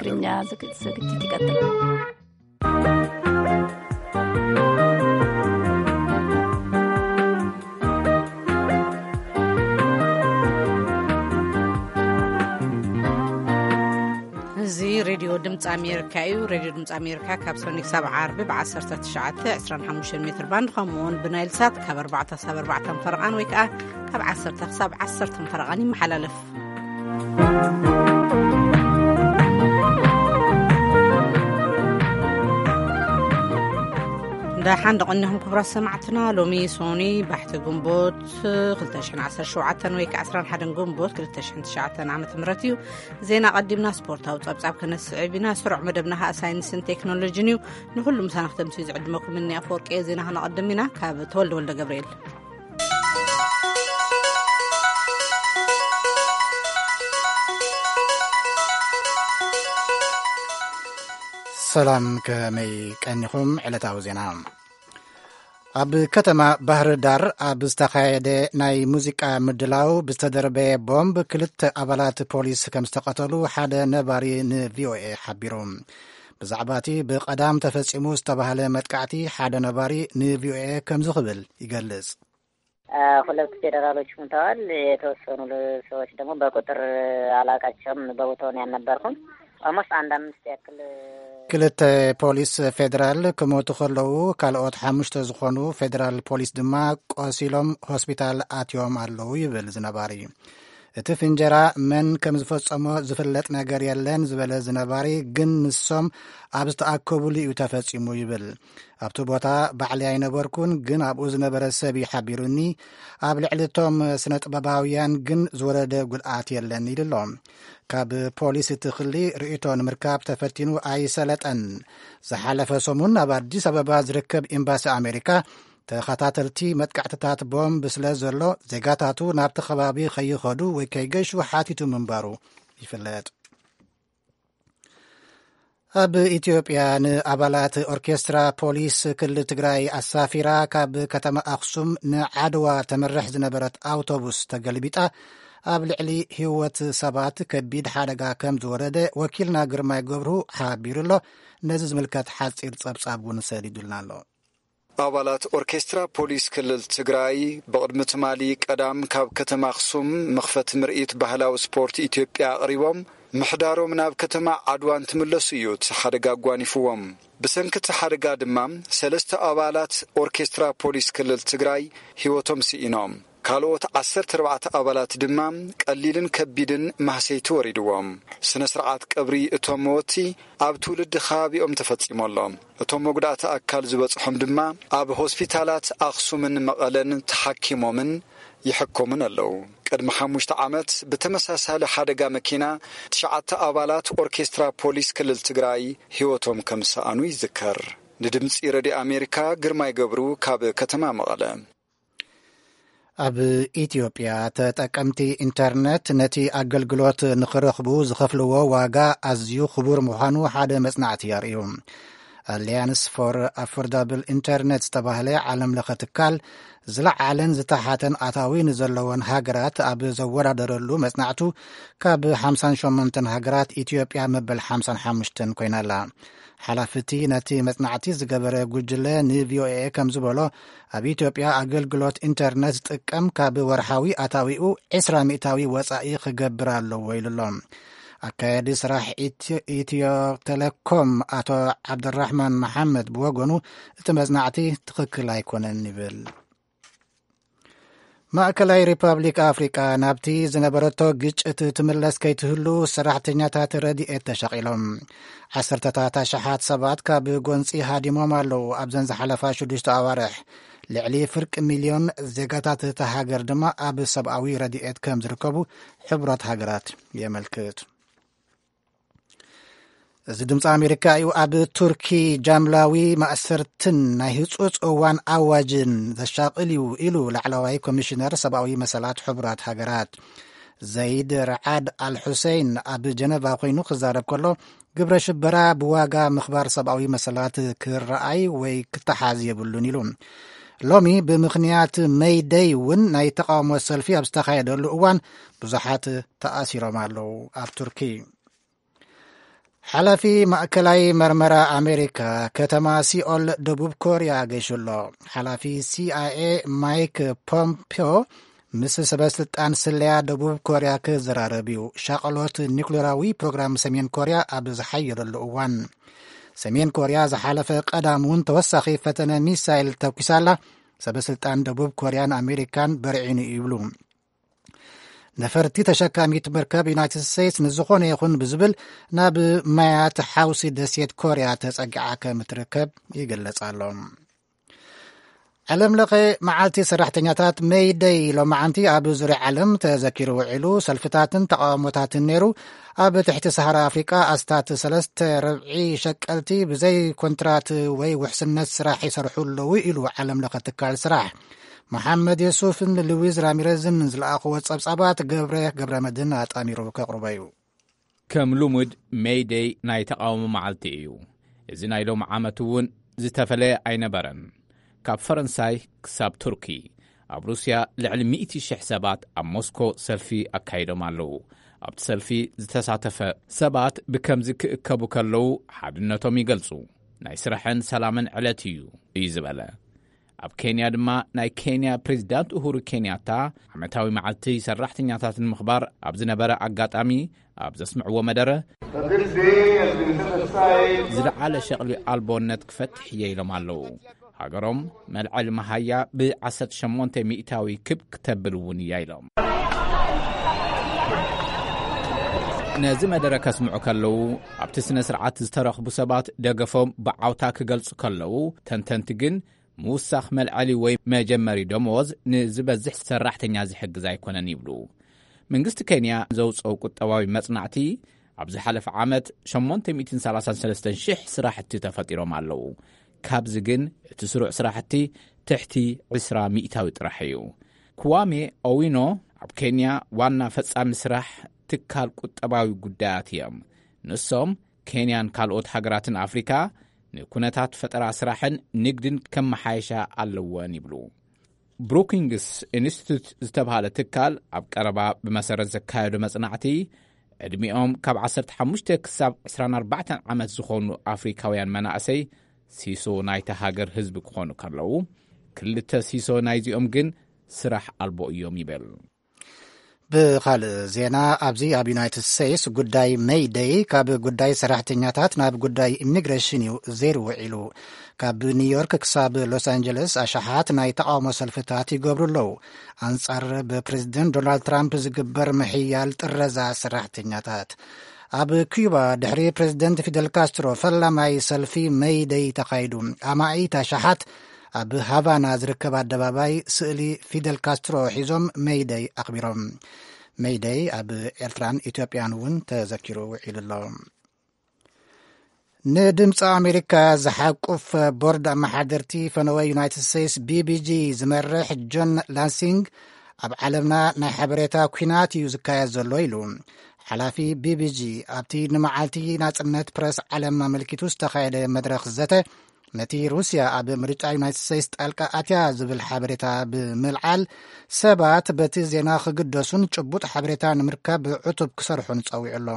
ትግርኛ ዝግ-፣ ዝግጅት ይቀጥል። እዚ ሬድዮ ድምፂ ኣሜሪካ እዩ። ሬድዮ ድምፂ ኣሜሪካ ካብ ሰኒ ክሳብ ዓርቢ ብ19፣ 25 ሜትር ባንድ፣ ከምኡ እውን ብናይል ሳት ካብ 4 ክሳብ 4 ፈረቓን ወይ ከዓ ካብ 10 ክሳብ 10 ፈረቓን ይመሓላለፍ። እንዳ ሓንደ ቀኒኹም ክቡራት ሰማዕትና፣ ሎሚ ሶኒ ባሕቲ ግንቦት 2017 ወይ ከዓ 11 ግንቦት 2009 ዓመተ ምህረት እዩ። ዜና ቀዲምና ስፖርታዊ ጸብጻብ ከነስዕብ ኢና። ስሩዕ መደብና ኸኣ ሳይንስን ቴክኖሎጂን እዩ። ንኹሉ ምሳና ክተምስዩ ዝዕድመኩም እኒ ኣፈወርቂ እየ። ዜና ከነቐድም ኢና። ካብ ተወልደ ወልደ ገብርኤል። ሰላም፣ ከመይ ቀኒኹም? ዕለታዊ ዜና። ኣብ ከተማ ባህር ዳር ኣብ ዝተኻየደ ናይ ሙዚቃ ምድላው ብዝተደርበየ ቦምብ ክልተ ኣባላት ፖሊስ ከም ዝተቐተሉ ሓደ ነባሪ ንቪኦኤ ሓቢሩ። ብዛዕባ እቲ ብቐዳም ተፈጺሙ ዝተባህለ መጥቃዕቲ ሓደ ነባሪ ንቪኦኤ ከምዚ ክብል ይገልጽ። አ፣ ሁለት ፌዴራሎች ሙተዋል። የተወሰኑ ል-፣ ሰዎች ደግሞ በቁጥር አላውቃቸውም። በቦታው ነው ያልነበርኩም። Almost አንድ አምስት ያክል። ክልተ ፖሊስ ፌዴራል ክሞቱ ከለዉ፣ ካልኦት ሓሙሽተ ዝኾኑ ፌዴራል ፖሊስ ድማ ቆሲሎም ሆስፒታል ኣትዮም ኣለዉ ይብል ዝነባሪ። እቲ ፍንጀራ መን ከም ዝፈጸሞ ዝፍለጥ ነገር የለን ዝበለ ዝነባሪ፣ ግን ንሶም ኣብ ዝተኣከቡሉ እዩ ተፈጺሙ ይብል። ኣብቲ ቦታ ባዕለይ ኣይነበርኩን፣ ግን ኣብኡ ዝነበረ ሰብ እዩ ሓቢሩኒ። ኣብ ልዕሊ እቶም ስነ ጥበባውያን ግን ዝወረደ ጉድኣት የለን ኢሉ ኣሎ። ካብ ፖሊስ እቲ ክሊ ርእይቶ ንምርካብ ተፈቲኑ ኣይሰለጠን። ዝሓለፈ ሰሙን ኣብ ኣዲስ ኣበባ ዝርከብ ኤምባሲ ኣሜሪካ፣ ተኸታተልቲ መጥቃዕትታት ቦምብ ስለ ዘሎ፣ ዜጋታቱ ናብቲ ከባቢ ከይኸዱ ወይ ከይገሹ ሓቲቱ ምንባሩ ይፍለጥ። ኣብ ኢትዮጵያ ንኣባላት ኦርኬስትራ ፖሊስ ክልል ትግራይ ኣሳፊራ ካብ ከተማ ኣኽሱም ንዓድዋ ተምርሕ ዝነበረት ኣውቶቡስ ተገልቢጣ ኣብ ልዕሊ ህይወት ሰባት ከቢድ ሓደጋ ከም ዝወረደ ወኪልና ግርማይ ገብሩ ሓቢሩ ኣሎ። ነዚ ዝምልከት ሓጺር ጸብጻብ እውን ሰዲዱልና ኣሎ። ኣባላት ኦርኬስትራ ፖሊስ ክልል ትግራይ ብቕድሚ ትማሊ ቀዳም ካብ ከተማ ኣኽሱም መኽፈቲ ምርኢት ባህላዊ ስፖርት ኢትዮጵያ ኣቕሪቦም፣ ምሕዳሮም ናብ ከተማ ዓድዋ እንትምለሱ እዩ እቲ ሓደጋ ኣጓኒፍዎም። ብሰንኪ እቲ ሓደጋ ድማ ሰለስተ ኣባላት ኦርኬስትራ ፖሊስ ክልል ትግራይ ህይወቶም ስኢኖም። ካልኦት 14 ኣባላት ድማ ቀሊልን ከቢድን ማህሰይቲ ወሪድዎም። ስነ ስርዓት ቀብሪ እቶም መወቲ ኣብ ትውልዲ ከባቢኦም ተፈጺሙ ኣሎ። እቶም መጉዳእቲ ኣካል ዝበጽሖም ድማ ኣብ ሆስፒታላት ኣኽሱምን መቐለን ተሓኪሞምን ይሕከሙን ኣለዉ። ቅድሚ ሓሙሽተ ዓመት ብተመሳሳሊ ሓደጋ መኪና ትሽዓተ ኣባላት ኦርኬስትራ ፖሊስ ክልል ትግራይ ህይወቶም ከም ዝሰኣኑ ይዝከር። ንድምጺ ረድዮ ኣሜሪካ ግርማይ ገብሩ ካብ ከተማ መቐለ። ኣብ ኢትዮጵያ ተጠቀምቲ ኢንተርነት ነቲ ኣገልግሎት ንኽረኽቡ ዝኸፍልዎ ዋጋ ኣዝዩ ክቡር ምዃኑ ሓደ መጽናዕቲ ኣርእዩ። ኣሊያንስ ፎር ኣፎርዳብል ኢንተርነት ዝተባህለ ዓለም ለኸ ትካል፣ ዝለዓለን ዝተሓተን ኣታዊ ንዘለወን ሃገራት ኣብ ዘወዳደረሉ መጽናዕቱ፣ ካብ ሓምሳን ሸሞንተን ሃገራት ኢትዮጵያ መበል ሓምሳን ሓሙሽተን ኮይና ኣላ። ሓላፊ እቲ ነቲ መጽናዕቲ ዝገበረ ጉጅለ ንቪኦኤ ከም ዝበሎ፣ ኣብ ኢትዮጵያ ኣገልግሎት ኢንተርነት ዝጥቀም ካብ ወርሓዊ ኣታዊኡ ዕስራ ሚእታዊ ወጻኢ ክገብር ኣለዎ ኢሉ ኣሎ። ኣካያዲ ስራሕ ኢትዮ፣ ኢትዮ ቴሌኮም ኣቶ ዓብደራሕማን መሓመድ ብወገኑ፣ እቲ መጽናዕቲ ትኽክል ኣይኮነን ይብል። ማእከላይ ሪፐብሊክ ኣፍሪቃ ናብቲ ዝነበረቶ ግጭት ትምለስ ከይትህሉ ሰራሕተኛታት ረድኤት ተሸቒሎም። ዓሰርተታት ኣሽሓት ሰባት ካብ ጎንጺ ሃዲሞም ኣለዉ። ኣብዘን ዝሓለፋ ሽዱሽተ ኣዋርሕ ልዕሊ ፍርቂ ሚልዮን ዜጋታት እታ ሃገር ድማ ኣብ ሰብኣዊ ረድኤት ከም ዝርከቡ ሕቡራት ሃገራት የመልክት። እዚ ድምፂ ኣሜሪካ እዩ። ኣብ ቱርኪ ጃምላዊ ማእሰርትን ናይ ህፁፅ እዋን ኣዋጅን ዘሻቕል እዩ ኢሉ ላዕለዋይ ኮሚሽነር ሰብኣዊ መሰላት ሕቡራት ሃገራት ዘይድ ረዓድ ኣልሑሴይን ኣብ ጀነቫ ኮይኑ ክዛረብ ከሎ፣ ግብረ ሽበራ ብዋጋ ምኽባር ሰብኣዊ መሰላት ክረኣይ ወይ ክተሓዝ የብሉን ኢሉ። ሎሚ ብምኽንያት መይደይ እውን ናይ ተቃውሞ ሰልፊ ኣብ ዝተኻየደሉ እዋን ብዙሓት ተኣሲሮም ኣለዉ ኣብ ቱርኪ። ሓላፊ ማእከላይ መርመራ ኣሜሪካ ከተማ ሲኦል ደቡብ ኮርያ ገይሹ ኣሎ። ሓላፊ ሲ ኣይ ኤ ማይክ ፖምፒዮ ምስ ሰበ ስልጣን ስለያ ደቡብ ኮርያ ክዘራረብ እዩ። ሻቕሎት ኒኩሌራዊ ፕሮግራም ሰሜን ኮርያ ኣብ ዝሓየለሉ እዋን፣ ሰሜን ኮርያ ዝሓለፈ ቀዳም እውን ተወሳኺ ፈተነ ሚሳይል ተኩሳላ። ሰበ ስልጣን ደቡብ ኮርያን ኣሜሪካን በርዒኑ ይብሉ። ነፈርቲ ተሸካሚት መርከብ ዩናይትድ ስቴትስ ንዝኾነ ይኹን ብዝብል ናብ ማያት ሓውሲ ደሴት ኮርያ ተጸጊዓ ከም እትርከብ ይግለጽ ኣሎ። ዓለም ለኸ መዓልቲ ሰራሕተኛታት ሜይደይ ሎማዓንቲ ኣብ ዙርያ ዓለም ተዘኪሩ ውዒሉ። ሰልፍታትን ተቃውሞታትን ነይሩ። ኣብ ትሕቲ ሰሃራ ኣፍሪቃ ኣስታት ሰለስተ ርብዒ ሸቀልቲ ብዘይ ኮንትራት ወይ ውሕስነት ስራሕ ይሰርሑ ኣለዉ ኢሉ ዓለም ለኸ ትካል ስራሕ። መሓመድ የሱፍን ሉዊዝ ራሚረዝን ዝለኣኽዎ ጸብጻባት ገብረ ገብረ መድህን ኣጣሚሩ ከቕርቦ እዩ። ከም ልሙድ ሜይደይ ናይ ተቓውሞ መዓልቲ እዩ። እዚ ናይ ሎም ዓመት እውን ዝተፈለየ ኣይነበረን። ካብ ፈረንሳይ ክሳብ ቱርኪ፣ ኣብ ሩስያ ልዕሊ ሚእቲ ሽሕ ሰባት ኣብ ሞስኮ ሰልፊ ኣካይዶም ኣለዉ። ኣብቲ ሰልፊ ዝተሳተፈ ሰባት ብከምዚ ክእከቡ ከለዉ ሓድነቶም ይገልጹ። ናይ ስራሕን ሰላምን ዕለት እዩ፣ እዩ ዝበለ። ኣብ ኬንያ ድማ ናይ ኬንያ ፕሬዚዳንት ኡሁሩ ኬንያታ ዓመታዊ መዓልቲ ሰራሕተኛታት ንምኽባር ኣብ ዝነበረ ኣጋጣሚ ኣብ ዘስምዕዎ መደረ፣ ዝለዓለ ሸቕሊ ኣልቦነት ክፈትሕ እየ ኢሎም ኣለዉ። ሃገሮም መልዐሊ መሃያ ብ18 ሚእታዊ ክብ ክተብል እውን እያ ኢሎም። ነዚ መደረ ከስምዑ ከለዉ፣ ኣብቲ ስነ ስርዓት ዝተረኽቡ ሰባት ደገፎም ብዓውታ ክገልጹ ከለዉ፣ ተንተንቲ ግን ምውሳኽ መልዐሊ ወይ መጀመሪ ደመወዝ ንዝበዝሕ ሰራሕተኛ ዝሕግዝ ኣይኮነን ይብሉ። መንግስቲ ኬንያ ዘውፅኦ ቁጠባዊ መጽናዕቲ፣ ኣብ ዝሓለፈ ዓመት ሸሞንተ ሚእትን ሰላሳን ሰለስተን ሽሕ ስራሕቲ ተፈጢሮም ኣለዉ። ካብዚ ግን እቲ ስሩዕ ስራሕቲ ትሕቲ ዕስራ ሚእታዊ ጥራሕ እዩ። ክዋሜ ኦዊኖ ኣብ ኬንያ ዋና ፈጻሚ ስራሕ ትካል ቁጠባዊ ጉዳያት እዮም። ንሶም ኬንያን ካልኦት ሃገራትን ኣፍሪካ ንኩነታት ፈጠራ ስራሕን ንግድን ከመሓየሻ ኣለወን ይብሉ። ብሩኪንግስ ኢንስቲቱት ዝተባሃለ ትካል ኣብ ቀረባ ብመሰረት ዘካየዶ መጽናዕቲ፣ ዕድሚኦም ካብ ዓሰርተ ሓሙሽተ ክሳብ ዕስራን ኣርባዕተን ዓመት ዝኾኑ ኣፍሪካውያን መናእሰይ ሲሶ ናይታ ሃገር ህዝቢ ክኾኑ ከለዉ፣ ክልተ ሲሶ ናይዚኦም ግን ስራሕ ኣልቦ እዮም ይብል። ብኻልእ ዜና፣ ኣብዚ ኣብ ዩናይትድ ስቴትስ ጉዳይ ሜይደይ ካብ ጉዳይ ሰራሕተኛታት ናብ ጉዳይ ኢሚግሬሽን እዩ ዘይሩ ውዒሉ። ካብ ኒውዮርክ ክሳብ ሎስ ኣንጀለስ ኣሽሓት ናይ ተቃውሞ ሰልፍታት ይገብሩ ኣለዉ፣ ኣንጻር ብፕሬዚደንት ዶናልድ ትራምፕ ዝግበር ምሕያል ጥረዛ ሰራሕተኛታት። ኣብ ኩባ ድሕሪ ፕሬዚደንት ፊደል ካስትሮ ፈላማይ ሰልፊ ሜይደይ ተኻይዱ። ኣማኢት ኣሽሓት ኣብ ሃቫና ዝርከብ ኣደባባይ ስእሊ ፊደል ካስትሮ ሒዞም ሜይደይ ኣኽቢሮም። ሜይደይ ኣብ ኤርትራን ኢትዮጵያን እውን ተዘኪሩ ውዒሉ ኣሎ። ንድምፂ ኣሜሪካ ዝሓቁፍ ቦርድ ኣመሓደርቲ ፈነወ ዩናይትድ ስቴትስ ቢቢጂ ዝመርሕ ጆን ላንሲንግ፣ ኣብ ዓለምና ናይ ሓበሬታ ኲናት እዩ ዝካየድ ዘሎ ኢሉ። ሓላፊ ቢቢጂ ኣብቲ ንመዓልቲ ናጽነት ፕረስ ዓለም ኣመልኪቱ ዝተኻየደ መድረኽ ዘተ፣ ነቲ ሩስያ ኣብ ምርጫ ዩናይትድ ስቴትስ ጣልቃ ኣትያ ዝብል ሓበሬታ ብምልዓል፣ ሰባት በቲ ዜና ክግደሱን ጭቡጥ ሓበሬታ ንምርካብ ዕቱብ ክሰርሑን ጸዊዑ ኣሎ።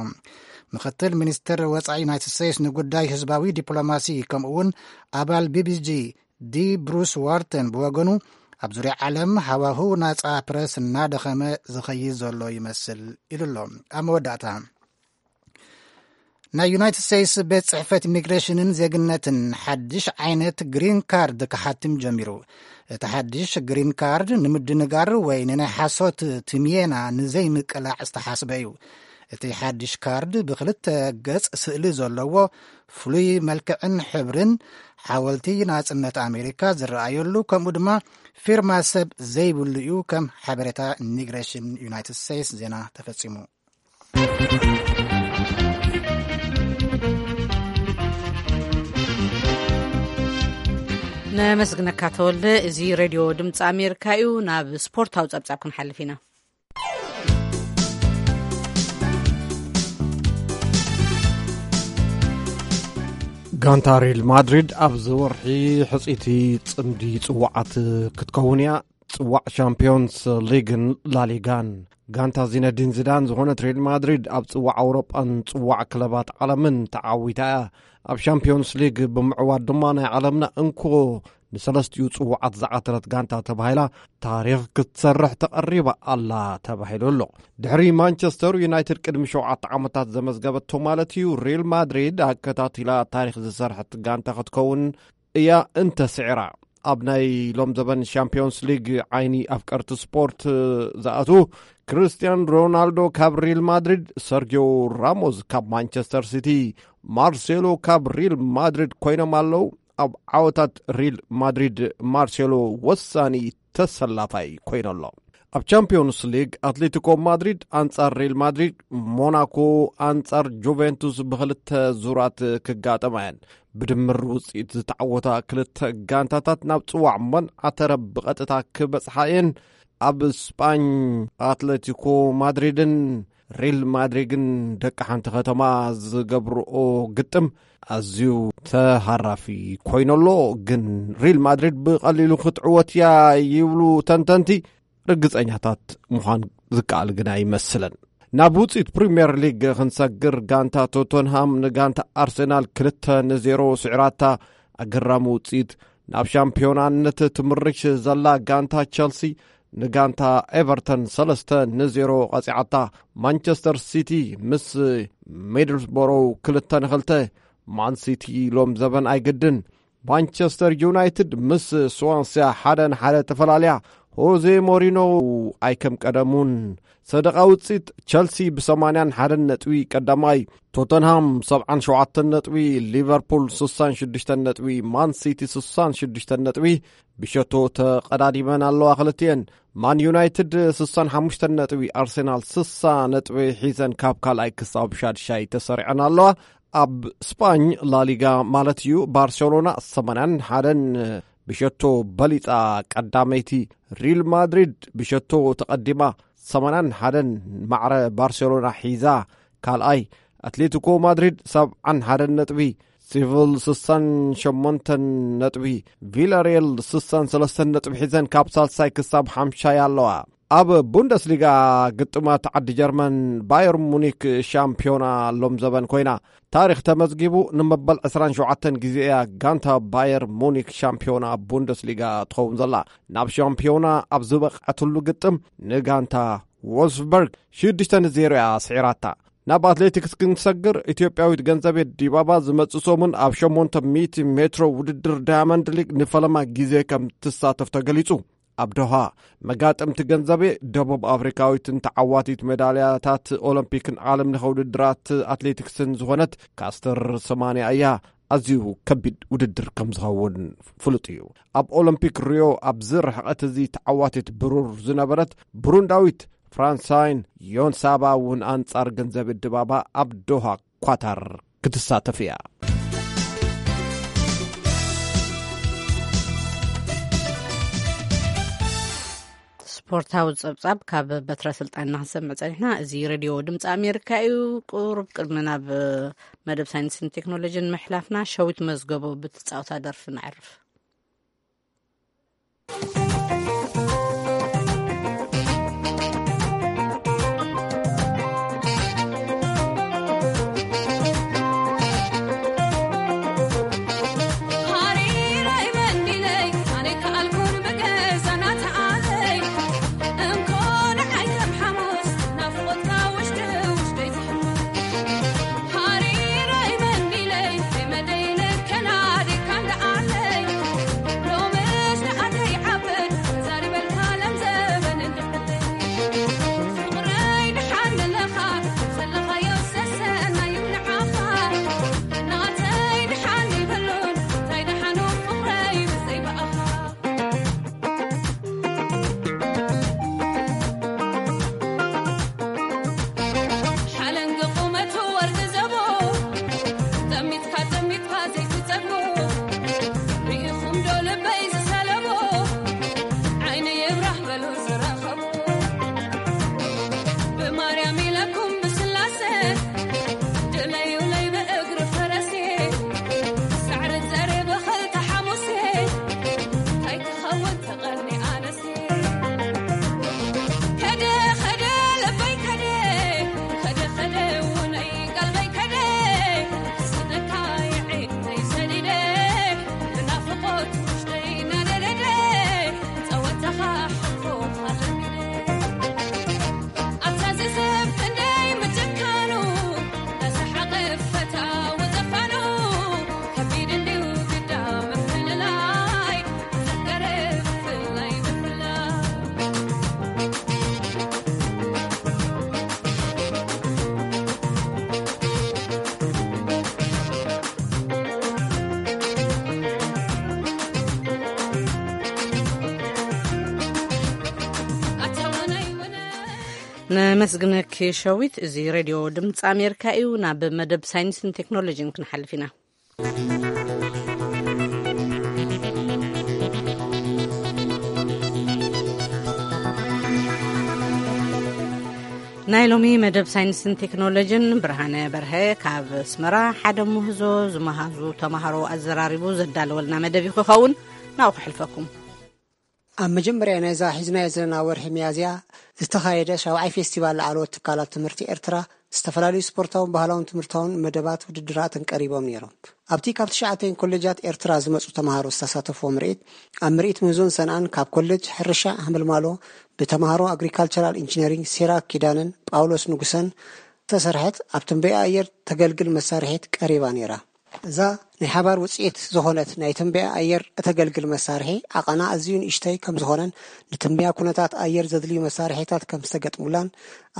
ምኽትል ሚኒስትር ወጻኢ ዩናይትድ ስቴትስ ንጉዳይ ህዝባዊ ዲፕሎማሲ፣ ከምኡ እውን ኣባል ቢቢጂ ዲ ብሩስ ዋርተን ብወገኑ፣ ኣብ ዙርያ ዓለም ሃዋህው ናጻ ፕረስ እናደኸመ ዝኸይድ ዘሎ ይመስል ኢሉ ኣሎ። ኣብ መወዳእታ፣ ናይ ዩናይትድ ስቴትስ ቤት ጽሕፈት ኢሚግሬሽንን ዜግነትን ሓድሽ ዓይነት ግሪን ካርድ ክሓትም ጀሚሩ። እቲ ሓድሽ ግሪን ካርድ ንምድንጋር ወይ ንናይ ሓሶት ትምየና ንዘይምቅላዕ ዝተሓስበ እዩ። እቲ ሓድሽ ካርድ ብክልተ ገጽ ስእሊ ዘለዎ፣ ፍሉይ መልክዕን ሕብርን ሓወልቲ ናጽነት ኣሜሪካ ዝረኣየሉ፣ ከምኡ ድማ ፊርማ ሰብ ዘይብሉ እዩ። ከም ሓበሬታ ኢሚግሬሽን ዩናይትድ ስቴትስ ዜና ተፈጺሙ። ነመስግነካ ተወልደ። እዚ ሬድዮ ድምፂ ኣሜሪካ እዩ። ናብ ስፖርታዊ ጸብጻብ ክንሓልፍ ኢና። ጋንታ ሪል ማድሪድ ኣብዚ ወርሒ ሕጽይቲ ጽምዲ ጽዋዓት ክትከውን እያ። ጽዋዕ ሻምፒዮንስ ሊግን ላሊጋን። ጋንታ ዚነዲን ዚዳን ዝኾነት ሪል ማድሪድ ኣብ ጽዋዕ ኣውሮጳን ጽዋዕ ክለባት ዓለምን ተዓዊታ እያ። ኣብ ሻምፒዮንስ ሊግ ብምዕዋት ድማ ናይ ዓለምና እንኮ ንሰለስቲኡ ጽዋዓት ዝዓተረት ጋንታ ተባሂላ ታሪኽ ክትሰርሕ ተቐሪባ ኣላ ተባሂሉ ኣሎ። ድሕሪ ማንቸስተር ዩናይትድ ቅድሚ ሸውዓተ ዓመታት ዘመዝገበቶ ማለት እዩ፣ ሪል ማድሪድ ኣከታቲላ ታሪኽ ዝሰርሐት ጋንታ ክትከውን እያ እንተስዒራ። ኣብ ናይ ሎም ዘበን ሻምፒዮንስ ሊግ ዓይኒ ኣፍቀርቲ ስፖርት ዝኣትዉ፣ ክርስቲያን ሮናልዶ ካብ ሪል ማድሪድ፣ ሰርጊዮ ራሞስ ካብ ማንቸስተር ሲቲ፣ ማርሴሎ ካብ ሪል ማድሪድ ኮይኖም ኣለዉ። ኣብ ዓወታት ሪል ማድሪድ ማርሴሎ ወሳኒ ተሰላፋይ ኮይኑ ኣሎ። ኣብ ቻምፒዮንስ ሊግ ኣትሌቲኮ ማድሪድ ኣንጻር ሪል ማድሪድ፣ ሞናኮ ኣንጻር ጁቬንቱስ ብኽልተ ዙራት ክጋጠማ እየን። ብድምር ውጽኢት ዝተዓወታ ክልተ ጋንታታት ናብ ጽዋዕ መን ኣተረብ ብቐጥታ ክበጽሓ እየን። ኣብ ስጳኝ ኣትሌቲኮ ማድሪድን ሪል ማድሪድን ደቂ ሓንቲ ከተማ ዝገብርኦ ግጥም ኣዝዩ ተሃራፊ ኮይኑ ኣሎ። ግን ሪል ማድሪድ ብቐሊሉ ክትዕወት እያ ይብሉ ተንተንቲ። ርግጸኛታት ምዃን ዝከኣል ግን ኣይመስልን። ናብ ውጽኢት ፕሪምየር ሊግ ክንሰግር፣ ጋንታ ቶተንሃም ንጋንታ ኣርሰናል ክልተ ንዜሮ ስዒራታ። ኣገራሚ ውጽኢት። ናብ ሻምፒዮናነት ትምርሽ ዘላ ጋንታ ቸልሲ ንጋንታ ኤቨርተን ሰለስተ ንዜሮ ቀጺዓታ። ማንቸስተር ሲቲ ምስ ሚድልስቦሮ ክልተ ንክልተ። ማን ሲቲ ሎም ዘበን ኣይግድን። ማንቸስተር ዩናይትድ ምስ ስዋንስያ ሓደ ንሓደ ተፈላልያ። ሆዜ ሞሪኖ ኣይከም ቀደሙን። ሰደቓ ውጽኢት፣ ቸልሲ ብሰማንያን ሓደን ነጥቢ ቀዳማይ፣ ቶተንሃም ሰብዓን ሸውዓተን ነጥቢ፣ ሊቨርፑል ስሳን ሽዱሽተን ነጥቢ፣ ማን ሲቲ ስሳን ሽዱሽተን ነጥቢ ብሸቶ ተቐዳዲመን ኣለዋ ክልቲኤን። ማን ዩናይትድ ስሳን ሓሙሽተን ነጥቢ፣ ኣርሴናል ስሳ ነጥቢ ሒዘን ካብ ካልኣይ ክሳብ ሻድሻይ ተሰሪዐን ኣለዋ። ኣብ ስጳኝ ላሊጋ ማለት እዩ፣ ባርሴሎና ሰማንያን ሓደን ብሸቶ በሊጻ ቀዳመይቲ። ሪል ማድሪድ ብሸቶ ተቐዲማ ሰማንያን ሓደን ማዕረ ባርሴሎና ሒዛ ካልኣይ። ኣትሌቲኮ ማድሪድ ሰብዓን ሓደን ነጥቢ፣ ሲቪል ስሳን ሸሞንተን ነጥቢ፣ ቪላሪየል ስሳን ሰለስተን ነጥቢ ሒዘን ካብ ሳልሳይ ክሳብ ሓምሻይ ኣለዋ። ኣብ ቡንደስሊጋ ግጥማት ዓዲ ጀርመን፣ ባየር ሙኒክ ሻምፒዮና ሎም ዘበን ኮይና። ታሪኽ ተመዝጊቡ። ንመበል ዕስራን ሸውዓተን ግዜ እያ ጋንታ ባየር ሙኒክ ሻምፒዮና ቡንደስሊጋ ትኸውን ዘላ። ናብ ሻምፒዮና ኣብ ዝበቕዐትሉ ግጥም ንጋንታ ዎልፍስበርግ ሽዱሽተ ንዜሮ እያ ስዒራታ። ናብ ኣትሌቲክስ ክንሰግር፣ ኢትዮጵያዊት ገንዘቤት ዲባባ ዝመጽእ ሰሙን ኣብ ሸሞንተ ሚእቲ ሜትሮ ውድድር ዳያመንድ ሊግ ንፈለማ ግዜ ከም ትሳተፍ ተገሊጹ። ኣብ ዶሃ፣ መጋጥምቲ ገንዘቤ፣ ደቡብ ኣፍሪካዊትን ተዓዋቲት ሜዳልያታት ኦሎምፒክን ዓለምለኸ ውድድራት ኣትሌቲክስን ዝኾነት ካስተር ሰማንያ እያ። ኣዝዩ ከቢድ ውድድር ከም ዝኸውን ፍሉጥ እዩ። ኣብ ኦሎምፒክ ሪዮ ኣብዚ ርሕቐት እዚ ተዓዋቲት ብሩር ዝነበረት ብሩንዳዊት ፍራንሳይን ዮንሳባ እውን ኣንጻር ገንዘብ ድባባ ኣብ ዶሃ ኳታር ክትሳተፍ እያ። ስፖርታዊ ጸብጻብ ካብ በትረ ስልጣንና ክንሰምዕ ጸኒሕና። እዚ ሬድዮ ድምፂ ኣሜሪካ እዩ። ቁሩብ ቅድሚ ናብ መደብ ሳይንስን ቴክኖሎጂን ምሕላፍና፣ ሸዊት መዝገቦ ብትጻወታ ደርፊ ነዕርፍ። ነመስግነኪ ሸዊት። እዚ ሬድዮ ድምፂ ኣሜሪካ እዩ። ናብ መደብ ሳይንስን ቴክኖሎጂን ክንሓልፍ ኢና። ናይ ሎሚ መደብ ሳይንስን ቴክኖሎጂን ብርሃነ በርሀ ካብ ኣስመራ ሓደ ምህዞ ዝመሃዙ ተምሃሮ ኣዘራሪቡ ዘዳለወልና መደብ እዩ ክኸውን። ናብኡ ክሕልፈኩም። ኣብ መጀመርያ ናይዛ ሒዝናዮ ዘለና ወርሒ ሚያዝያ ዝተኻየደ ሻብዓይ ፌስቲቫል ላዕለዎት ትካላት ትምህርቲ ኤርትራ ዝተፈላለዩ ስፖርታውን ባህላውን ትምህርታውን መደባት ውድድራትን ቀሪቦም ነይሮም። ኣብቲ ካብ ትሽዓተን ኮሌጃት ኤርትራ ዝመጹ ተምሃሮ ዝተሳተፍዎ ምርኢት፣ ኣብ ምርኢት ምህዞን ሰንኣን ካብ ኮሌጅ ሕርሻ ሃመልማሎ ብተምሃሮ ኣግሪካልቸራል ኢንጂነሪንግ ሲራክ ኪዳነን ጳውሎስ ንጉሰን ዝተሰርሐት ኣብ ትንበያ ኣየር ተገልግል መሳርሒት ቀሪባ ነይራ። እዛ ናይ ሓባር ውፅኢት ዝኾነት ናይ ትንበያ ኣየር እተገልግል መሳርሒ ዓቐና ኣዝዩ ንእሽተይ ከም ዝኾነን ንትንበያ ኩነታት ኣየር ዘድልዩ መሳርሒታት ከም ዝተገጥሙላን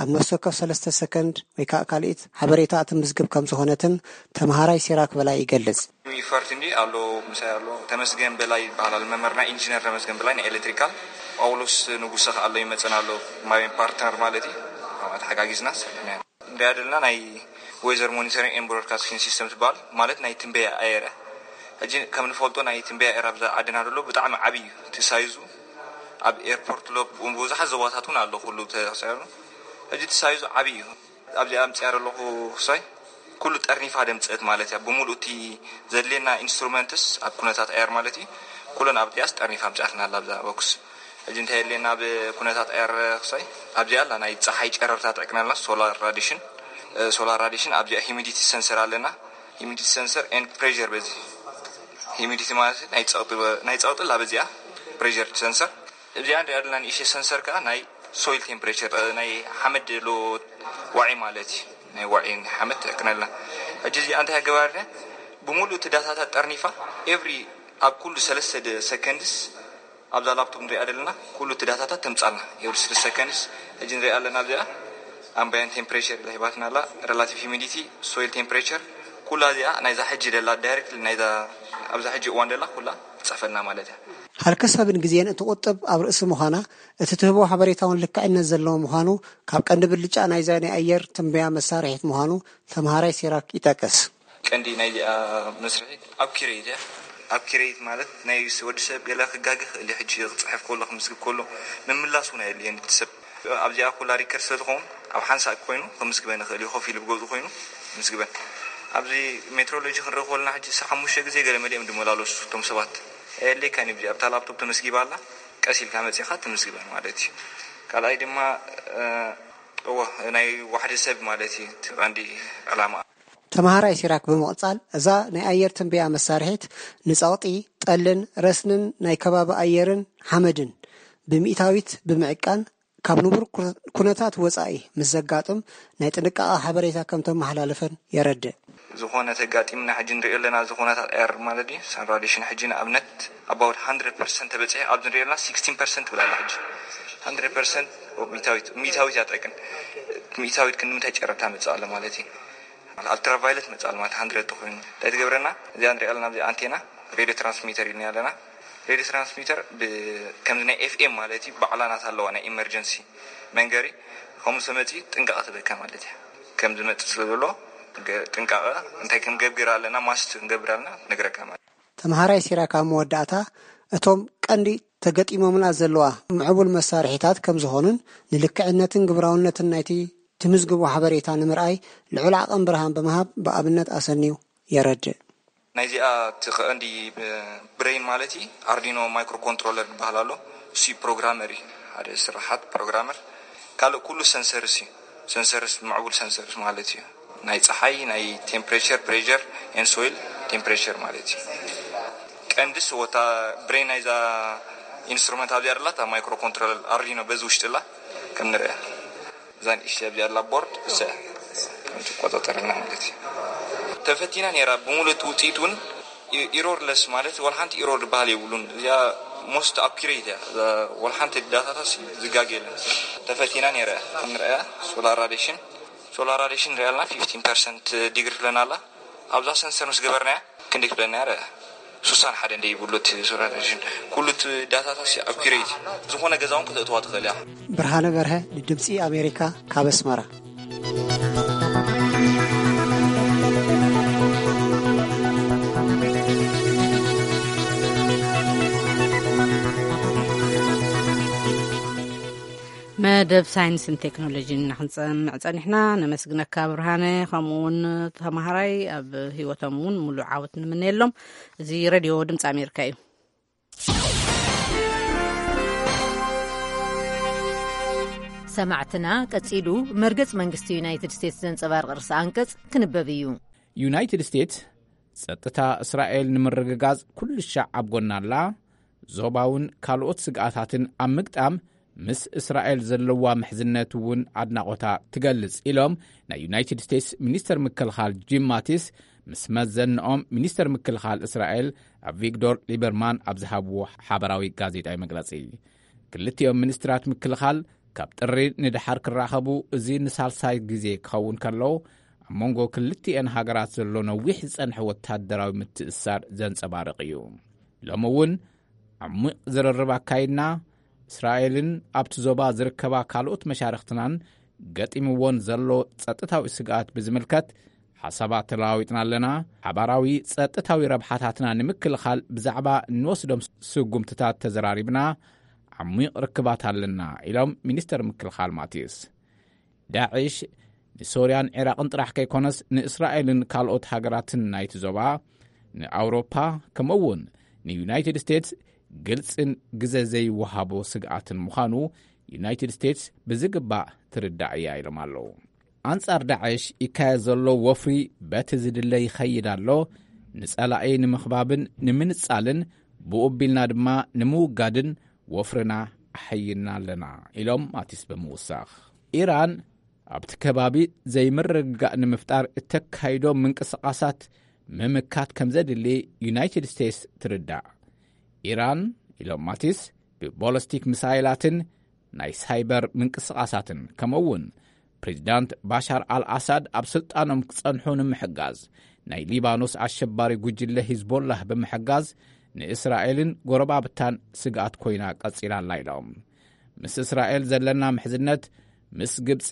ኣብ ነፍሲ ወከፍ ሰለስተ ሰከንድ ወይ ከዓ ካልኢት ሓበሬታ እትምዝግብ ከም ዝኾነትን ተምሃራይ ሲራክ በላይ ይገልጽ። ኢፈርት እንዲ ኣሎ ምሳይ ኣሎ ተመስገን በላይ ይበሃል። መምህርና ኢንጂነር ተመስገን በላይ ናይ ኤሌክትሪካል፣ ጳውሎስ ንጉሰ ከ ኣሎ ይመፀና ኣሎ ማይ ፓርትነር ማለት እዩ። ተሓጋጊዝና ንሪኣ ዘለና ናይ ዌዘር ሞኒተሪንግ ኤንድ ብሮድካስቲንግ ሲስተም ትበሃል ማለት ናይ ትንበያ ኣየር እያ። ሕጂ ከም ንፈልጦ ናይ ትንበያ ኣየር ኣብዛ ዓድና ዘሎ ብጣዕሚ ዓብዪ እዩ እቲ ሳይዙ። ኣብ ኤርፖርት ሎ ብዙሓት ዞባታት እውን ኣሎ ኩሉ ተሳይሩ። ሕጂ እቲ ሳይዙ ዓብዪ እዩ። ኣብዚኣ ኣምፅኣ ዘለኹ ክሳይ ኩሉ ጠርኒፋ ደምፅእት ማለት እያ። ብምሉእ እቲ ዘድልየና ኢንስትሩመንትስ ኣብ ኩነታት ኣየር ማለት እዩ ኩለን ኣብዚኣስ ጠርኒፋ ኣምፅኣትና ኣላ ኣብዛ ቦክስ። ሕጂ እንታይ የድልየና ኣብ ኩነታት ኣየር ክሳይ ኣብዚኣ ኣላ ናይ ፀሓይ ጨረርታ ትዕቅነልና ሶላር ራዲሽን። ሶላር ራዲሽን ኣብዚኣ ሂሚዲቲ ሰንሰር ኣለና። ሂሚዲቲ ሰንሰር ኤንድ ፕሬር በዚ ሂሚዲቲ ማለት ናይ ፀቕጢ ናይ ፀቕጢ ኣላ በዚኣ ፕሬር ሰንሰር። እዚኣ ንሪኣ ዘለና ንእሽተይ ሰንሰር ከዓ ናይ ሶይል ቴምፕሬቸር ናይ ሓመድ ሎ ዋዒ ማለት እዩ። ናይ ዋዒ ሓመድ ትዕቅነልና። ሕጂ እዚኣ እንታይ ኣገባርና ብምሉእ እቲ ዳታታት ጠርኒፋ ኤቭሪ ኣብ ኩሉ ሰለስተ ሰከንድስ ኣብዛ ላፕቶፕ ንሪኣ ዘለና ኩሉ እቲ ዳታታት ተምፃልና ኤቭሪ ስሪ ሰከንድስ። ሕጂ ንሪኣ ኣለና ኣብዚኣ ኣምባየንት ቴምፕሬቸር ኢላ ሂባትና ኣላ። ሬላቲቭ ሂሚዲቲ፣ ሶይል ቴምፕሬቸር ኩላ እዚኣ ናይዛ ሕጂ ደላ ዳይሬክት ናይዛ ኣብዛ ሕጂ እዋን ደላ ኩላ ትፅሕፈልና ማለት እያ። ሃልኪ ሰብን ግዜን እትቑጥብ ኣብ ርእሲ ምዃና እቲ ትህቦ ሓበሬታ እውን ልክዕነት ዘለዎ ምዃኑ ካብ ቀንዲ ብልጫ ናይዛ ናይ ኣየር ትንበያ መሳርሒት ምዃኑ ተምሃራይ ሲራክ ይጠቅስ። ቀንዲ ናይዚኣ መስርሒት ኣኩሬት እያ። ኣኩሬት ማለት ናይ ወዲ ሰብ ገለ ክጋገ ክእል እዩ። ሕጂ ክፅሕፍ ከሎ ክምዝግብ ከሎ ምምላስ እውን ኣየድልየን እቲ ሰብ ኣብዚኣ ኩላ ሪከርድ ስለ ዝኸውን ኣብ ሓንሳእ ኮይኑ ክምዝግበን ይኽእል እዩ። ኮፍ ኢሉ ብገዝኡ ኮይኑ ክምዝግበን። ኣብዚ ሜትሮሎጂ ክንርኢ ከለና ሕጂ ዕስራ ሓሙሽተ ግዜ ገለ መሊኦም ዝመላለሱ እቶም ሰባት ኣየድልየካን እዩ። ኣብታ ላፕቶፕ ተመዝጊባ ኣላ ቀስ ኢልካ መፂኻ ትምዝግበን ማለት እዩ። ካልኣይ ድማ እወ ናይ ዋሕዲ ሰብ ማለት እዩ እቲ ቀንዲ ዕላማ። ተምሃራይ ሲራክ ብምቕጻል እዛ ናይ ኣየር ትንበያ መሳርሒት ንጸቕጢ፣ ጠልን ረስንን ናይ ከባቢ ኣየርን ሓመድን ብሚእታዊት ብምዕቃን ካብ ንቡር ኩነታት ወጻኢ ምስ ዘጋጥም ናይ ጥንቃቐ ሓበሬታ ከም ተመሓላልፈን የረድእ። ዝኾነ ተጋጢምና ሕጂ ንሪኦ ኣለና ዝኾነታት ኣየር ማለት እዩ ሳን ራዲሽን ሕጂ ንኣብነት ኣባውት ሃንድረድ ፐርሰንት ተበፂሑ ኣብዚ ንሪኦ ኣለና ሲክስቲን ፐርሰንት ትብል ኣላ ሕጂ ሃንድረድ ፐርሰንት ሚእታዊት ሚእታዊት እያ ጠቅን ሚእታዊት ክንምንታይ ጨረርታ መፅእ ኣሎ ማለት እዩ። ኣልትራቫይለት መፅእ ኣሎ ማለት ሃንድረድ ተኮይኑ እንታይ ትገብረና እዚኣ ንሪኣ ኣለና ኣብዚ ኣንቴና ሬድዮ ትራንስሚተር ኢልና ኣለና። ሬድዮ ትራንስሚተር ከምዚ ናይ ኤፍኤም ማለት እዩ ባዕላ ናት ኣለዋ ናይ ኢመርጀንሲ መንገሪ ከምኡ ሰመፂ ጥንቃቐ ትበካ ማለት እያ። ከም ዝመፅእ ስለ ዘሎ ጥንቃቐ እንታይ ክንገብር ኣለና ማስት ክንገብር ኣለና ትነግረካ ማለት። ተምሃራይ ሲራክ ኣብ መወዳእታ እቶም ቀንዲ ተገጢሞምና ዘለዋ ምዕቡል መሳርሒታት ከም ዝኾኑን ንልክዕነትን ግብራውነትን ናይቲ ትምዝግቦ ሓበሬታ ንምርኣይ ልዑል ዓቐን ብርሃን ብምሃብ ብኣብነት ኣሰንዩ የረድእ። ናይዚኣ እቲ ቀንዲ ብሬን ማለት እዩ ኣርዲኖ ማይክሮ ኮንትሮለር ዝበሃል ኣሎ። እሱ ፕሮግራመር እዩ ሓደ ስራሓት ፕሮግራመር። ካልእ ኩሉ ሰንሰርስ እዩ። ሰንሰርስ ምዕቡል ሰንሰርስ ማለት እዩ ናይ ፀሓይ ናይ ቴምፕሬቸር ፕሬር ኤን ሶይል ቴምፕሬቸር ማለት እዩ። ቀንድስ ወታ ብሬን ናይዛ ኢንስትሩመንት ኣብዚኣ ደላ እታ ማይክሮ ኮንትሮለር ኣርዲኖ በዚ ውሽጢ ላ ከም ንርአ እዛ ንእሽተይ ኣብዚኣ ኣላ ቦርድ እዚኣ ትቆጻጸረልና ማለት እዩ። ተፈቲና ነይራ ብምሉእ እቲ ውፅኢት እውን ኢሮርለስ ማለት ዋላ ሓንቲ ኢሮር ዝበሃል የብሉን። እዚኣ ሞስት ኣኩሬት እያ። ዋላ ሓንቲ ዳታታስ ዝጋገ የለን። ተፈቲና ነይራ ክንረኣያ ሶላር ራዲሽን ሶላር ራዲሽን ንሪኣ ኣለና ፊፍቲን ፐርሰንት ዲግሪ ትብለና ኣላ። ኣብዛ ሰንሰር ምስ ገበርናያ ክንደይ ትብለና እያ? ስሳን ሓደ እንደ ይብሉ እቲ ሶላር ቴሌቪዥን ኩሉ እቲ ዳታታት ኣብ ኪረይቲ ዝኾነ ገዛውን ክተእትዋ ትኽእል እያ። ብርሃነ በርሀ ንድምፂ ኣሜሪካ ካብ ኣስመራ። መደብ ሳይንስን ቴክኖሎጂን ኢና ክንሰምዕ ጸኒሕና። ነመስግነካ ብርሃነ፣ ከምኡ እውን ተምሃራይ ኣብ ህይወቶም እውን ሙሉእ ዓወት ንምነየሎም። እዚ ሬድዮ ድምፂ ኣሜሪካ እዩ። ሰማዕትና፣ ቀጺሉ መርገጽ መንግስቲ ዩናይትድ ስቴትስ ዘንጸባርቕ ርእሰ ኣንቀጽ ክንበብ እዩ። ዩናይትድ ስቴትስ ጸጥታ እስራኤል ንምርግጋጽ ኩሉ ሻዕ ኣብ ጎና ኣላ፣ ዞባውን ካልኦት ስግኣታትን ኣብ ምግጣም ምስ እስራኤል ዘለዋ ምሕዝነት እውን ኣድናቖታ ትገልጽ ኢሎም ናይ ዩናይትድ ስቴትስ ሚኒስተር ምክልኻል ጂም ማቲስ ምስ መዘንኦም ሚኒስተር ምክልኻል እስራኤል ኣቪግዶር ሊበርማን ኣብ ዝሃብዎ ሓበራዊ ጋዜጣዊ መግለጺ። ክልቲኦም ሚኒስትራት ምክልኻል ካብ ጥሪ ንደሓር ክራኸቡ፣ እዚ ንሳልሳይ ግዜ ክኸውን ከሎ ኣብ መንጎ ክልቲኤን ሃገራት ዘሎ ነዊሕ ዝጸንሐ ወታደራዊ ምትእስሳር ዘንጸባርቕ እዩ። ሎሚ እውን ዓሚቕ ዝርርብ ኣካይድና፣ እስራኤልን ኣብቲ ዞባ ዝርከባ ካልኦት መሻርኽትናን ገጢምዎን ዘሎ ጸጥታዊ ስግኣት ብዝምልከት ሓሳባት ተለዋዊጥና ኣለና። ሓባራዊ ጸጥታዊ ረብሓታትና ንምክልኻል ብዛዕባ እንወስዶም ስጉምትታት ተዘራሪብና፣ ዓሚቕ ርክባት ኣለና ኢሎም ሚኒስተር ምክልኻል ማቲስ። ዳዕሽ ንሶርያን ዒራቕን ጥራሕ ከይኮነስ ንእስራኤልን ካልኦት ሃገራትን ናይቲ ዞባ፣ ንኣውሮፓ፣ ከምኡ እውን ንዩናይትድ ስቴትስ ግልጽን ግዘ ዘይወሃቦ ስግኣትን ምዃኑ ዩናይትድ ስቴትስ ብዝግባእ ትርዳእ እያ ኢሎም ኣለዉ። ኣንጻር ዳዕሽ ይካየድ ዘሎ ወፍሪ በቲ ዝድለ ይኸይድ ኣሎ። ንጸላኢ ንምኽባብን ንምንጻልን ብኡ ኣቢልና ድማ ንምውጋድን ወፍርና ኣሐይልና ኣለና ኢሎም ማቲስ ብምውሳኽ። ኢራን ኣብቲ ከባቢ ዘይምርግጋእ ንምፍጣር እተካይዶ ምንቅስቓሳት ምምካት ከም ዘድሊ ዩናይትድ ስቴትስ ትርዳእ። ኢራን ኢሎም ማቲስ ብቦለስቲክ ሚሳይላትን ናይ ሳይበር ምንቅስቓሳትን ከምኡ እውን ፕሬዚዳንት ባሻር ኣልኣሳድ ኣብ ስልጣኖም ክጸንሑ ንምሕጋዝ ናይ ሊባኖስ ኣሸባሪ ጉጅለ ሂዝቦላህ ብምሕጋዝ ንእስራኤልን ጎረባብታን ስግኣት ኮይና ቀጺላ ኣላ ኢሎም። ምስ እስራኤል ዘለና ምሕዝነት ምስ ግብጺ፣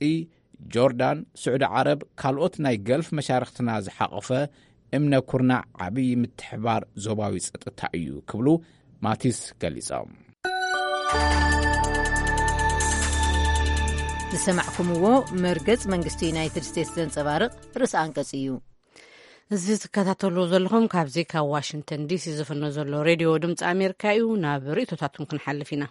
ጆርዳን፣ ስዑዲ ዓረብ፣ ካልኦት ናይ ገልፍ መሻርኽትና ዝሓቖፈ እምነ ኩርናዕ ዓብዪ ምትሕባር ዞባዊ ጸጥታ እዩ ክብሉ ማቲስ ገሊጾም። ዝሰማዕኩምዎ መርገጽ መንግስቲ ዩናይትድ ስቴትስ ዘንጸባርቕ ርእሰ ኣንቀጽ እዩ። እዚ ትከታተልዎ ዘለኹም ካብዚ ካብ ዋሽንግተን ዲሲ ዝፍኖ ዘሎ ሬድዮ ድምፂ ኣሜሪካ እዩ። ናብ ርእይቶታትኩም ክንሓልፍ ኢና።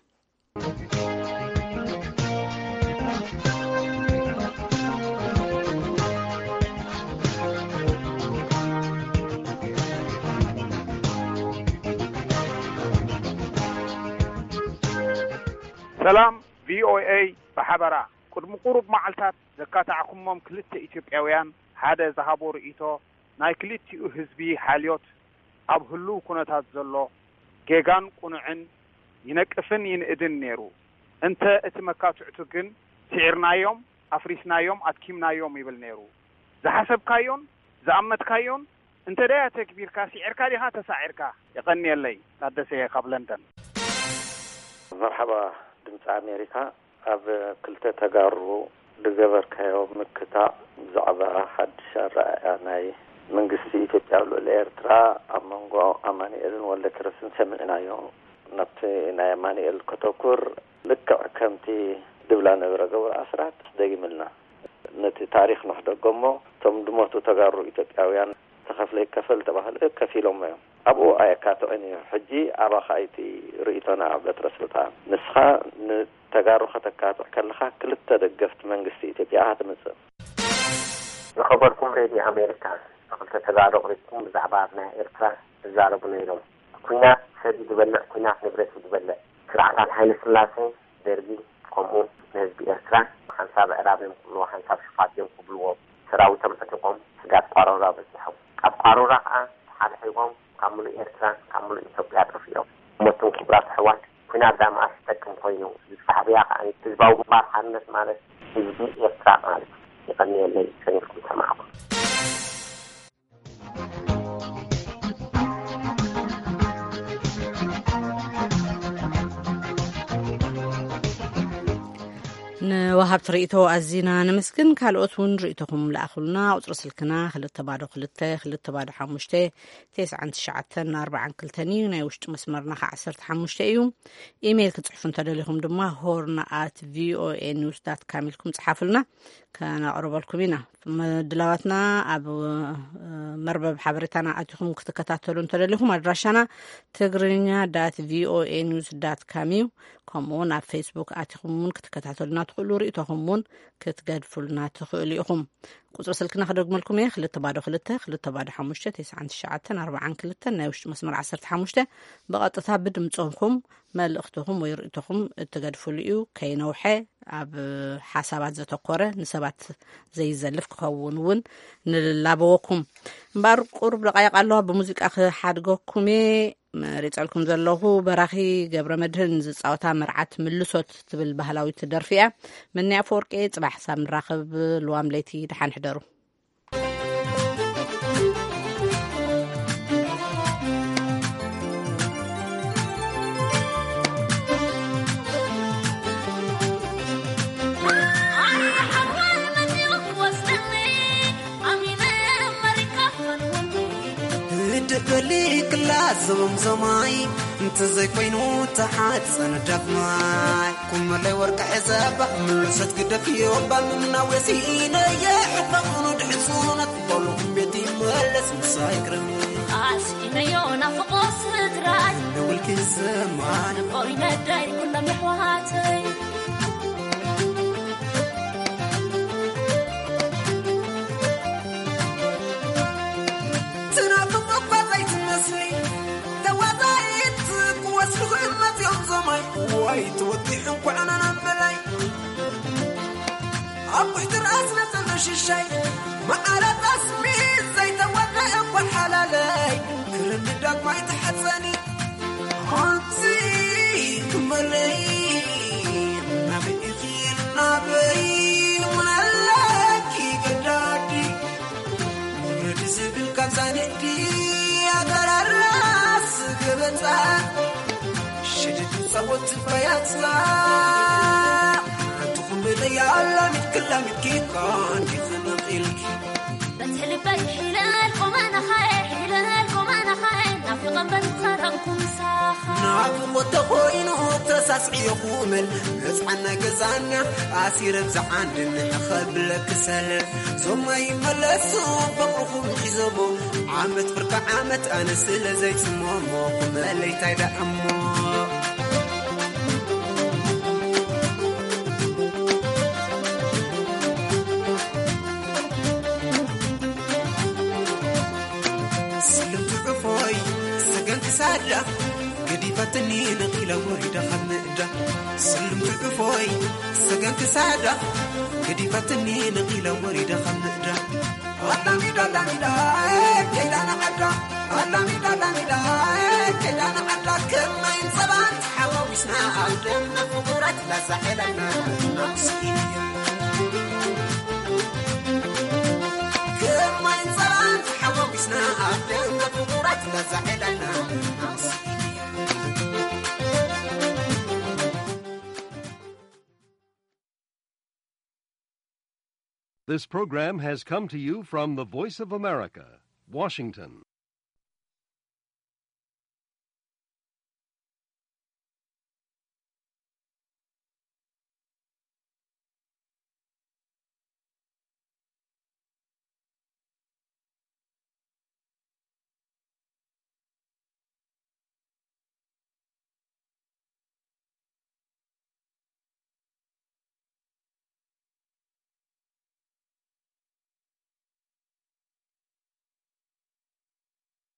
ሰላም ቪኦኤ ብሓበራ። ቅድሚ ቁሩብ መዓልታት ዘካታዕኩሞም ክልተ ኢትዮጵያውያን ሓደ ዝሃቦ ርእይቶ ናይ ክልቲኡ ህዝቢ ሓልዮት ኣብ ህሉው ኩነታት ዘሎ ጌጋን ቁኑዕን ይነቅፍን ይንእድን ነይሩ። እንተ እቲ መካትዕቱ ግን ስዒርናዮም፣ ኣፍሪስናዮም፣ ኣድኪምናዮም ይብል ነይሩ። ዝሓሰብካዮን ዝኣመትካዮን እንተ ደኣ ተግቢርካ ስዒርካ ዲኻ ተሳዒርካ? የቐንየለይ። ታደሰ እየ ካብ ለንደን። መርሓባ ድምፂ ኣሜሪካ። ኣብ ክልተ ተጋሩ ዝገበርካዮ ምክታዕ ብዛዕባ ሓድሽ ኣረኣእያ ናይ መንግስቲ ኢትዮጵያ ኣብ ልዕሊ ኤርትራ ኣብ መንጎ ኣማኑኤልን ወልደኪሮስን ሰሚዕናዮ። ናብቲ ናይ ኣማኑኤል ከተኩር ልክዕ ከምቲ ድብላ ነበረ ገብሩ ኣስራት ደጊምልና። ነቲ ታሪኽ ንሕደጎ እሞ እቶም ድሞቱ ተጋሩ ኢትዮጵያውያን ተኸፍለ ይከፈል ተባህለ ከፊሎሞ እዮም። ኣብኡ ኣየካትዕን እዩ። ሕጂ ኣባኻ እዩ እቲ ርእይቶና በትረ ስልጣን። ንስኻ ንተጋሩ ከተካትዕ ከለኻ ክልተ ደገፍቲ መንግስቲ ኢትዮጵያ ኢኻ ትምጽእ። ዝኸበርኩም ሬድዮ ኣሜሪካ፣ ክልተ ተጋሩ ኣቕሪብኩም ብዛዕባ ኣብ ናይ ኤርትራ ትዛረቡ ነይሮም። ኲናት ሰብ እዩ ዝበልዕ፣ ኲናት ንብረት እዩ ዝበልዕ። ስርዓታት ሃይለ ስላሴ፣ ደርጊ፣ ከምኡ ንህዝቢ ኤርትራ ሓንሳብ ኣዕራብ እዮም ክብልዎ፣ ሓንሳብ ሽፋት እዮም ክብልዎ። ሰራዊቶም ዕጢቖም ስጋብ ቋሮራ በጺሖም። ካብ ቋሮራ ከኣ ተሓድሒቖም ካብ ምሉእ ኤርትራ፣ ካብ ምሉእ ኢትዮጵያ ጠፊኦም። ሞትን ክቡራት ኣሕዋት፣ ኲናት ደኣ መኣስ ይጠቅም ኮይኑ? ሻዕብያ ከኣ ህዝባዊ ግንባር ሓርነት ማለት ህዝቢ ኤርትራ ማለት እዩ። የቐንየለይ፣ ሰኒፍኩም ሰማዕኩም። ንወሃብቲ ርእይቶ ኣዚና ነመስግን። ካልኦት እውን ርእይቶኹም ለኣኹልና። ቁጽሪ ስልክና ክልተ ባዶ ክልተ፣ ክልተ ባዶ ሓሙሽተ፣ ተስዓን ትሽዓተን ኣርባዓን ክልተን እዩ። ናይ ውሽጢ መስመርና ከ ዓሰርተ ሓሙሽተ እዩ። ኢሜይል ክትጽሕፉ እንተደሊኹም ድማ ሆርን ኣት ቪኦኤ ኒውስ ዳት ካም ኢልኩም ጽሓፉልና፣ ከነቕርበልኩም ኢና። ምድላዋትና ኣብ፣ እ፣ መርበብ ሓበሬታና ኣቲኹም ክትከታተሉ እንተደሊኹም ኣድራሻና ትግርኛ ዳት ቪኦኤ ኒውስ ዳት ካም እዩ። ከምኡ እውን ኣብ ፌስቡክ ኣቲኹም እውን ክትከታተሉና ትኽእሉ፣ ርእይቶኹም እውን ክትገድፉልና ትኽእሉ ኢኹም። ቁጽሪ ስልክና ክደግመልኩም እየ፣ ክልተ ባዶ ክልተ፣ ክልተ ባዶ ሓሙሽተ፣ ተስዓን ትሽዓተን ኣርባዓን ክልተን፣ ናይ ውሽጢ መስመር ዓሰርተ ሓሙሽተ። ብቐጥታ ብድምጽኹም መልእኽትኹም ወይ ርእይቶኹም እትገድፍሉ እዩ። ከይነውሐ ኣብ ሓሳባት ዘተኮረ፣ ንሰባት ዘይዘልፍ ክኸውን እውን ንላበወኩም። እምበኣር ቁሩብ ደቃይቕ ኣለዋ፣ ብሙዚቃ ክሓድገኩም እየ። መሪጸልኩም ዘለኹ በራኺ ገብረ መድህን ዝጻወታ መርዓት ምልሶት ትብል ባህላዊት ደርፊ እያ። መኒ ኣፈወርቂ፣ ጽባሕ ሳብ ንራኸብ። ልዋም ለይቲ፣ ደሓን ሕደሩ። ህድእ በሊ ክላስ ዞምዞማይ፣ እንተዘይኮይኑ ተሓፀን ዳግማይ። ኩመለይ ወርቂ ሒዘባ ምልሰት ግደፍዮ፣ ባምና ወሲነየ ሕባኹኑ ድሕሱነት፣ በሉ ቤት ይመለስ ምሳይ ክረም። ኣስኢነዮ ናፍቆ ስድራይ፣ ንውልኪ ሰማን። ንቦይ ነዳይ ኩሎም የሕዋተይ። ትናፍቕ እኳ ዘይትመስሊ፣ ተዋዛይት ክወስዱ ክመፅኦም ዞማይ። ዋይ ትወዲሑ እንኳዕ ናናም በላይ። ኣብ ውሕዲ ራስ ነፀሎ ሽሻይ፣ መዓረ ጠስሚ ዘይተወድአ እኳ ሓላለይ። ክርኒ ዳግማይ ተሓፀኒ። ኣንቲ ክመለይ ናበይ ኢኺ ናበይ ምናለኪ ገዳዲ ውረድ ዝብል ካብ ዛንዲ ኣተራራስ ገበፃ ሽድድ ፃወት ባያፃ ኣንቲ ኩመለይ ኣላሚድኪ ላሚድኪ እኳ እንዲኺ ነቒልኪ በቲ ልበይ ሒለል ቆመናኻየ፣ ሒለል ቆመናኻየ፣ ናፊቐ እምበር ዝኸረምኩ ምሳኻ። ናፍቖት ተኾይኑ ተሳስዕዮ ኩመል፣ መጽዓና ገዛና ኣሲረ ብዝዓንድን ከብለኪ ሰለል። ዞማ ይመለሱ ፍቕርኹም ሒዘሞ፣ ዓመት ብርካ ዓመት ኣነ ስለ ዘይጽመሞ፣ ኩመለይ ታይ ደኣ እሞ። ስልምቲ ዕፎይ ሰገን ክሳዳ ገዲፈትኒ ነቒለ ወሪደ ካብ ምእዳ። ስልምቲ ዕፎይ ሰገን ክሳዳ ገዲፈትኒ ነቒለ ወሪደ ካብ ምእዳ። ኣላሚዳ ኣላሚዳ ከይዳ ንዓዳ። ኣላሚዳ ኣላሚዳ ከይዳ ንዓዳ። ከማይን ጸባን ተሓዋዊስና ኣብ ደምና ፍቑራት ላዛ ዒለና ናብሲ። ከማይን ጸባን ተሓዋዊስና ኣብ ደምና ፍቑራት ላዛ ዒለና ናብሲ። This program has come to you from the Voice of America, Washington.